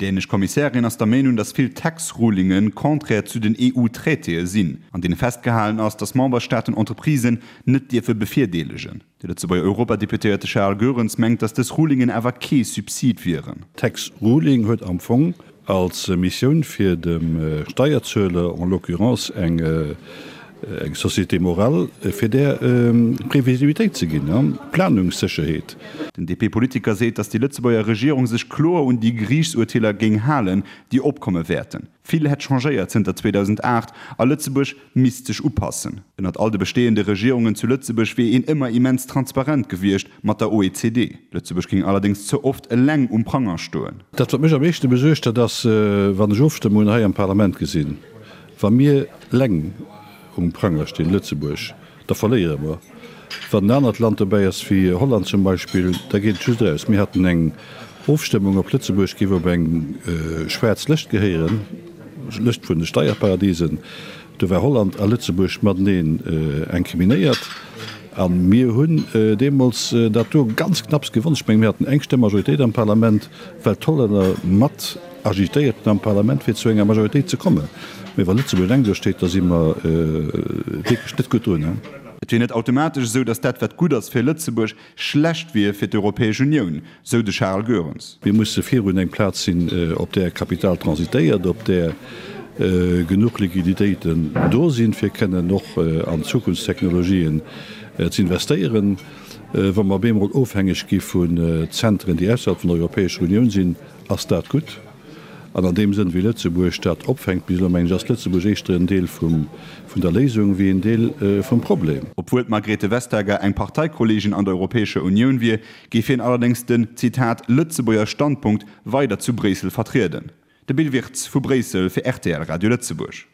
dänesch Kommissärin ass der Meenung, datt vill Tax-Rulinge contraire zu den EU-Traitéë sinn, an deene festgehalen ass, datt Memberstaaten Entreprisen net dierfe bevirdeelegen. De Lëtzebuerger Europadeputéierte Charles Goerens mengt, datt dës Rulingen awer kee Subsid wieren. D'Tax Ruling huet am Fong als Missioun fir dem Steierzueler, en l'occurrence eng Société morale, fir där Previsibilitéit ze ginn, Planungssécherheet. Den DP-Politiker seet, datt déi Lëtzebuerger Regierung sech kloer un déi Geriichtsurteeler géing halen, déi opkomme wäerten. Vill hätt changéiert zënter 2008 a Lëtzebuerg misst sech upassen. Ënnert all de besteeënde Regierungen zu Lëtzebuerg wier een ëmmer immens transparent gewiescht mat der OECD. Lëtzebuerg géing allerdéngs ze oft eleng um Pranger stoen. Dat wat mech am meeschte besuergt, dat ass, wann ech Ofstëmmungen hei am Parlament gesinn, wa mir eleng um Pranger stinn, Lëtzebuerg, Da verléiere mer. Wann en anert Land dobäi ass, wéi Holland zum Beispill, da geet et just eraus. Mir haten eng Ofstëmmung, ob Lëtzebuerg géif op eng schwaarz Lëscht gehéieren, Lëscht vun de Steierparadisen. Do war Holland a Lëtzebuerg mateneen incriminéiert. A mir hunn deemools dat do ganz knapps gewonn. Ech mengen, mir haten eng Stëmm Majoritéit am Parlament, well d'Hollänner mat agitéiert hunn am Parlament, fir zu enger Majoritéit ze kommen. Mee wa Lëtzebuerg eleng do steet, da si mer wierklech net gutt drun. Et wier net automatesch esou, datt dat, wat gutt ass fir Lëtzebuerg, schlecht wier fir d'Europäesch Unioun, sou de Charles Goerens. Mir musse virun eng Plaz sinn, op där Kapital transitéiert, op där genuch Liquiditéiten do sinn, fir kënnen och an Zukunftstechnologien z'investéieren. Wa mer op eemol ofhängeg gi vun Zentren, déi ausserhalb vun der Europäescher Unioun sinn, Ass dat gutt? An an deem Sënn, wéi Lëtzebuerg dat opfänkt bis elo, mengen ech, ass Lëtzebuerg éischter en Deel vum, vun der Léisung wéi en Deel vum Problem. Obwuel d'Margrethe Vestager eng Parteikolleegin an der Europäescher Unioun wier, géif hien allerdéngs den, Zitat, Lëtzebuerger Standpunkt weider zu Bréissel vertrieden. De Bill Wirtz vu Bréissel fir rtl Radio Lëtzebuerg.